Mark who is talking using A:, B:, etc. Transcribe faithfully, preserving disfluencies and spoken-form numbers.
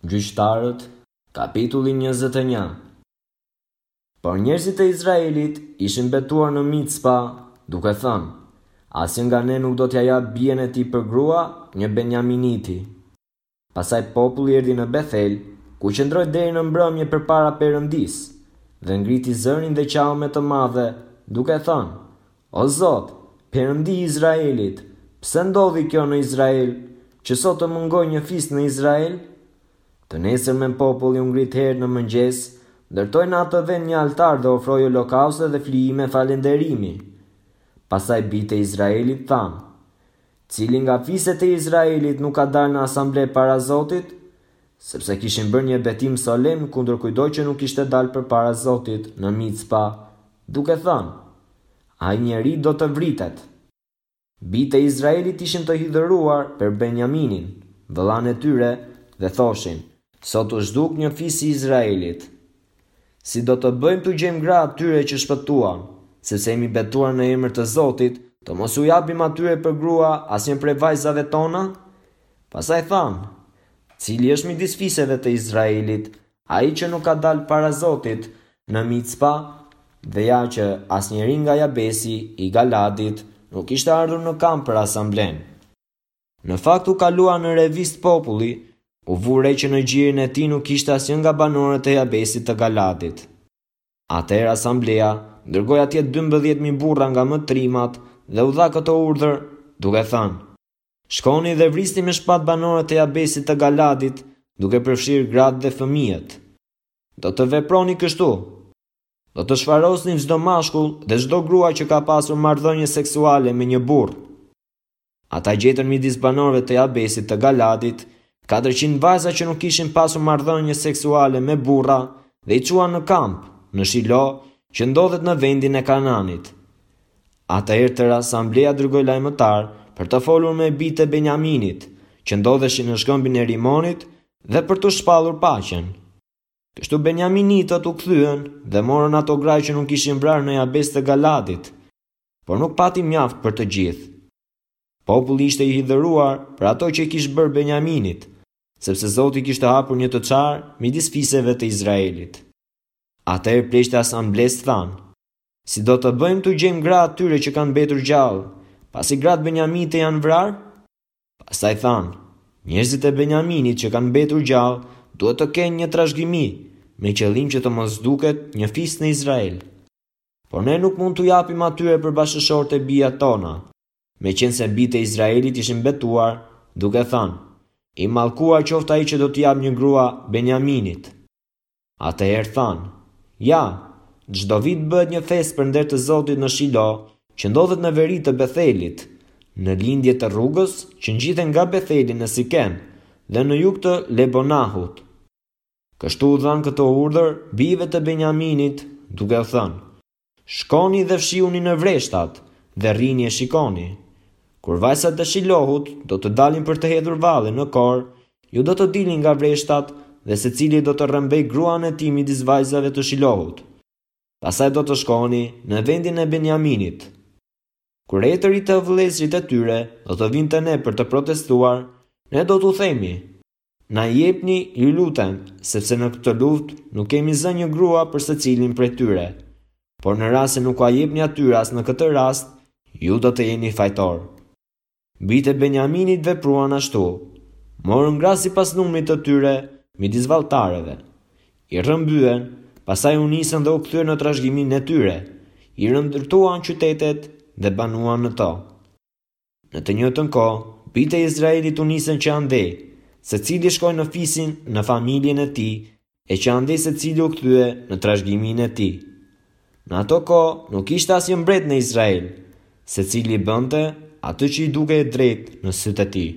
A: Gjyqtarët, kapitulli njëzet e një. Por njerëzit e Izraelit ishin betuar në Micpa, duke thënë: Asnjë nga ne nuk do t'ia japë bijën e tij për grua një Benjaminiti. Pastaj populli erdhi në Bethel, ku qëndroi deri në mbrëmje përpara Perëndisë, dhe ngriti zërin dhe qau me të madhe, duke thënë: O Zot, Perëndi i Izraelit, pse ndodhi kjo në Izrael, që sot të mungojë një fis në Izrael? Të nesërmen populli u ngrit herët në mëngjes, ndërtoi në atë vend një altar dhe ofroi holokauste dhe flijime falënderimi. Pastaj bijtë e Izraelit thanë: Cili nga fiset e Izraelit nuk ka dalë në asamble para Zotit? Sepse kishin bërë një betim solemn kundër kujtdo që nuk kishte dalë përpara Zotit në Micpa, duke thënë: Ai njeri do të vritet. Bijtë e Izraelit ishin të hidhëruar për Benjaminin, vëllanë e tyre, dhe thoshin: Sot u zhduk një fis i Izraelit. Si do të bëjmë t'u gjejmë gra atyre që shpëtuan, sepse jemi betuar në emër të Zotit, të mos u japim atyre për grua asnjë prej vajzave tona? Pastaj thanë: Cili është midis fiseve të Izraelit, ai që nuk ka dalë para Zotit në Micpa? Dhe ja që asnjëri nga Jabesi i Galadit nuk ishte ardhur në kamp për asamblenë. Në fakt u kalua në revistë populli, u vu re që në gjirin e tij nuk ishte asnjë nga banorët e Jabesit të Galadit. Atëherë asambleja dërgoi atje dymbëdhjetë mijë burra nga më trimat dhe u dha këtë urdhër, duke thënë: Shkoni dhe vrisni me shpatë banorët e Jabesit të Galadit, duke përfshirë gratë dhe fëmijët. Do të veproni kështu. Do të shfarosni çdo mashkull dhe çdo grua që ka pasur marrëdhënie seksuale me një burrë. Ata gjetën midis banorëve të Jabesit të Galadit katërqind vajza që nuk kishin pasur marrëdhënie seksuale me burra dhe i çuan në kamp, në Shilo, që ndodhet në vendin e Kananit. Atëherë tërë asambleja dërgoi lajmëtar për të folur me bijtë e Benjaminit, që ndodheshin në shkëmbin e Rimonit, dhe për të shpallur paqen. Kështu Benjaminitët u kthyen dhe morën ato gra që nuk ishin vrarë në Jabes të Galadit, por nuk pati mjaft për të gjithë. Populli ishte i hidhëruar për ato që i kish bërë Benjaminit, sepse Zoti kishte hapur një të çarë midis fiseve të Izraelit. Atëherë pleqtë e asamblesë thanë: Si do të bëjmë t'u gjejmë gra atyre që kanë mbetur gjallë, pasi gratë Benjamite janë vrarë? Pastaj thanë: Njerëzit e Benjaminit që kanë mbetur gjallë duhet të kenë një trashëgimi, me qëllim që të mos duket një fis në Izrael. Por ne nuk mund t'u japim atyre për bashkëshortë e bijat tona, meqense bijtë e Izraelit ishin betuar, duke thënë: I mallkuar qoftë ai që do t'i japë një grua Benjaminit. Atëherë thanë: Ja, çdo vit bëhet një festë për nder të Zotit në Shilo, që ndodhet në veri të Bethelit, në lindje të rrugës që ngjiten nga Betheli në Sikem dhe në jug të Lebonahut. Kështu u dhanë këto urdhër bijve të Benjaminit, duke u thënë: Shkoni dhe fshihuni në vreshtat dhe rrini e shikoni. Kur vajzat e Shilohut do të dalin për të hedhur valle në kor, ju do të dilni nga vreshtat dhe secili do të rrëmbej gruan e tij midis vajzave të Shilohut. Pastaj do të shkoni në vendin e Benjaminit. Kur etërit e vëllezërit e tyre do të vinë te ne për të protestuar, ne do t'u themi: Na jepni, ju lutem, sepse në këtë luftë nuk kemi zënë një grua për secilin prej tyre. Por në rast se nuk ua jepni atyre as në këtë rast, ju do të jeni fajtor. Bijtë e Benjaminit vepruan ashtu, morën gra sipas numrit të tyre midis valltarëve. I rrëmbyen, pastaj u nisën dhe u kthyen në trashëgiminë e tyre, i rëndërtuan qytetet dhe banuan në to. Në të njëjtën kohë, bijtë e Izraelit u nisën që andej, secili shkoi në fisin, në familjen e tij, e që andej secili u kthye në trashëgiminë e tij. Në ato kohë nuk ishte asnjë mbret në Izrael, secili bënte atë që i dukej e drejtë në sytë e tij.